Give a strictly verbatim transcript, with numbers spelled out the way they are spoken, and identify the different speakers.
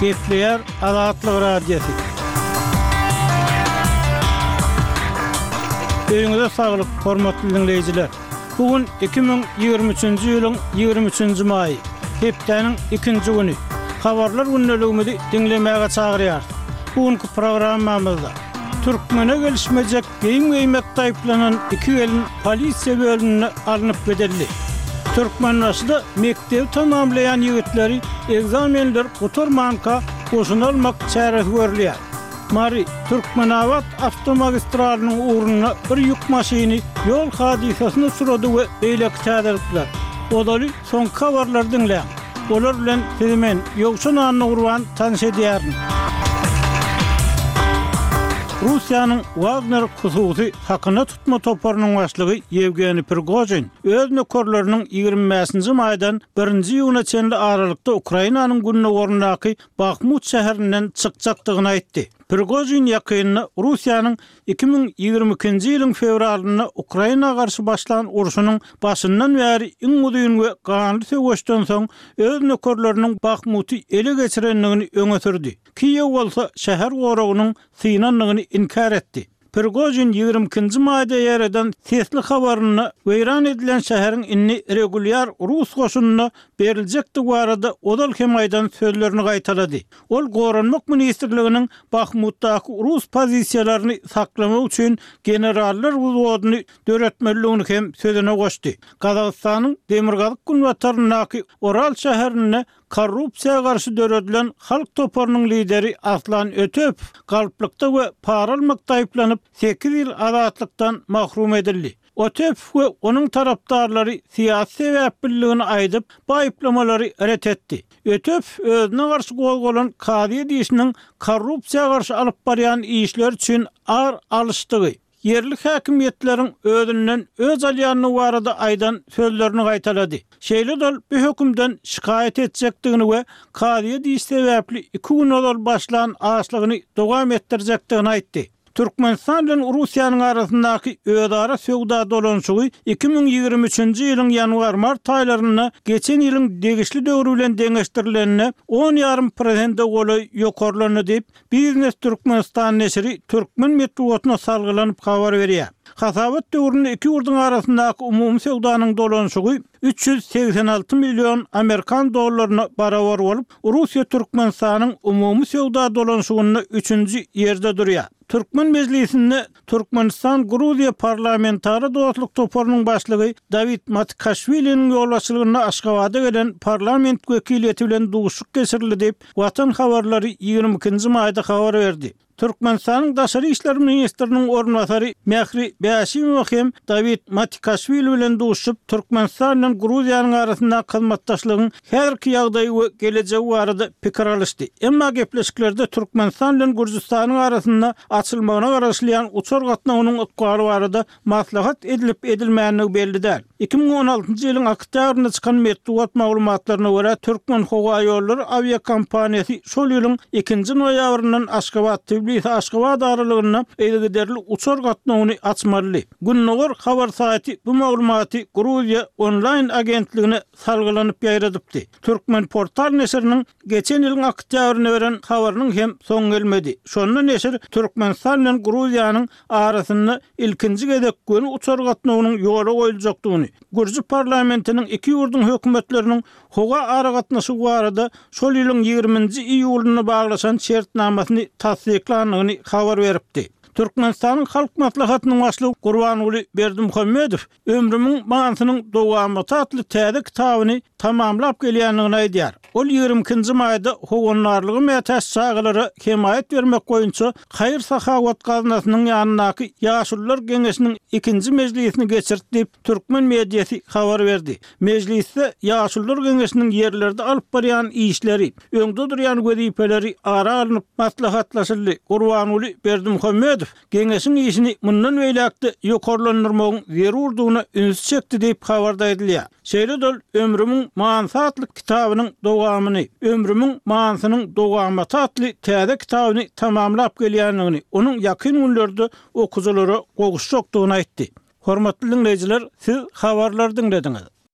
Speaker 1: Gepleýär Azatlyk Radiosy. Öýüňize saglyk, hormatly diňleýjiler. Bu gün iki müň ýigrimi üçünji ýylyň ýigrimi üçünji maýy, hepdäniň ikinji güni. Habarlar gündeligimizi diňlemäge çagyrýarys. Bu günki programmamyzda Türkmene gelişmejek geýim geýmekde aýyplanan iki gelin polisiýa bölümine alnyp gidildi. Türkmenbaşyda mekdebi tamamlaýan ýigitleri ekzamenler gutarmanka goşuna almak çäresi görülýär. Mary, Türkmenabat awtomagistralynyň ugrunda bir ýük maşyny ýol hadysasyna uçrady we beýleki täzelikler. Ozaly soňky habarlary diňläň. Olar bilen sizi men, Ýowşan Annagurban tanyş edýärin. Russiýanyň Wagner hususy hakyna tutma toparynyň başlygy Ýewgeniý Prigožin öz nökerleriniň ýigrimi bäşinji maýdan birinji iýuna çenli aralykda Ukrainanyň gündogaryndaky Bahmut şäherinden çykjakdygyny aýtdy. Prigožin ýakynda Russiýanyň iki müň ýigrimi ikinji ýylyň fewralynda Ukraina garşy başlan urşunyň başyndan bäri iň uzyn we ganly söweşden soň öz nökerleriniň Bahmuty ele geçirendigini öňe sürdi. Kiýew bolsa şäher goragynyň synandygyny inkär etdi. Prigožin ýigrimi ikinji maýda ýaýradan sesli habarynda weýran edilen şäheriň indi regulýar rus goşunyna beriljekdigi barada ozal hem aýdan sözlerini gaýtalady. Ol Goranmak ministrliginiň Bahmutdaky rus pozisiýalaryny saklamak üçin generallar wzwodyny döretmelidigini hem sözüne goşdy. Gazagystanyň demirgazyk-günbataryndaky Oral şäherinde Korrupsiýa garşy döredilen halk toparynyň lideri Aslan Ötepow galplykda we para almakda aýyplanyp, sekiz ýyl azatlykdan mahrum edildi. Ötepow we onuň tarapdarlary syýasy sebäpliligini aýdyp, bu aýyplamalary ret etdi. Ötepow özüne garşy gozgalan kazyýet işiniň korrupsiýa garşy alyp barýan işleri üçin ar alyşdygy, ýerli häkimiýetleriň özünden öç alýandygy barada aýdan sözlerini gaýtalady. Şeýle-de ol bu hökümden şikaýat etjekdigini we kazyýet işi sebäpli iki gün ozal başlan açlygyny dowam etdirjekdigini aýtdy. Türkmenistan bilen Russiýanyň arasyndaky özara söwda dolanyşygy iki müň ýigrimi üçünji ýylyň ýanwar-mart aýlarynda geçen ýylyň degişli döwri bilen deňeşdirilende on ýarym prosente golaý ýokarlandy diýip, Biznes Türkmenistan neşiri türkmen metbugatyna salgylanyp habar berýär. Hasabat döwründe iki ýurduň arasyndaky umumy söwdanyň dolanyşygy üç ýüz segsen alty million amerikan dollaryna barabar bolup, Russiýa Türkmenistanyň umumy söwda dolanyşygynda üçünji ýerde durýar. Türkmen Mejlisinde Türkmenistan-Gruziýa parlamentara dostluk toparynyň başlygy Dawid Matikaşwiliniň ýolbaşçylygynda Aşgabada gelen parlament wekiliýeti bilen duşuşyk geçirildi diýip, Watan habarlary ýigrimi ikinji maýda habar berdi. Türkmenistanyň daşary işler ministriniň orunbasary Mähri Bäşimowa hem Dawid Matikaşwili bilen duşuşyp, Türkmenistan bilen Gruziýanyň arasyndaky hyzmatdaşlygyň häzirki ýagdaýy we gelejegi barada pikir alyşdy. Emma gepleşiklerde Türkmenistan bilen Gürjüstanyň arasynda açylmagyna garaşylýan uçar gatnawynyň ykbaly barada maslahat edilip-edilmändigi belli däl. Iki müň on altynjy ýylyň oktýabrynda çykan metbugat maglumatlaryna görä, Türkmenhowaýollary awiakompaniýasy şol ýylyň ikinji noýabryndan Aşgabat-Tbilisi-Aşgabat aralygynda yzygiderli uçar gatnawyny açmalydy. Gündogar habar saýty bu maglumaty Gruziýa onlaýn agentligine salgylanyp ýaýradypdy. Türkmenportal neşiriniň geçen ýylyň oktýabrynda beren habarynyň hem soňy gelmedi. Şonda neşir Türkmenistan bilen Gruziýanyň arasynda ilkinji gezek göni uçar gatnawynyň ýola goýuljakdygyny, gürji parlamentiniň iki ýurduň hökümetleriniň howa aragatnaşygy barada şol ýylyň ýigriminji iýulynda baglaşan şertnamasyny tassyklandygyny habar beripdi. Türkmenistanyň Halk Maslahatynyň Başlygy Gurbanguly Berdimuhamedow Ömrümiň manysynyň dowamaty atly täze kitabyny tamamlap gelýändigini aýdýar. Ol ýigrimi ikinji maýda howandarlyga mätäç çagalara hemaýat bermek boýunça haýyr-sahawat gaznasynyň ýanyndaky Ýaşulular geňeşiniň ikinji mejlisini geçirdi diýip, türkmen mediasy habar berdi. Mejlisde Ýaşulular geňeşiniň ýerlerde alyp barýan işleri, öňde durýan wezipeleri ara alnyp maslahatlaşyldy. Gurbanguly Berdimuhamedow Geňeşiň işini mundan beýläk-de ýokarlandyrmagyň zerurdygyna ünsi çekdi diýip, habarda aýdylýar. Şeýle-de ol Ömrümiň manysy atly kitabynyň dowamyny, Ömrümiň manysynyň dowamaty atly täze kitabyny tamamlap gelýändigini, onuň ýakyn günlerde okyjylara gowuşjakdygyny aýtdy. Hormatly diňleýjiler, siz habarlary diňlediňiz.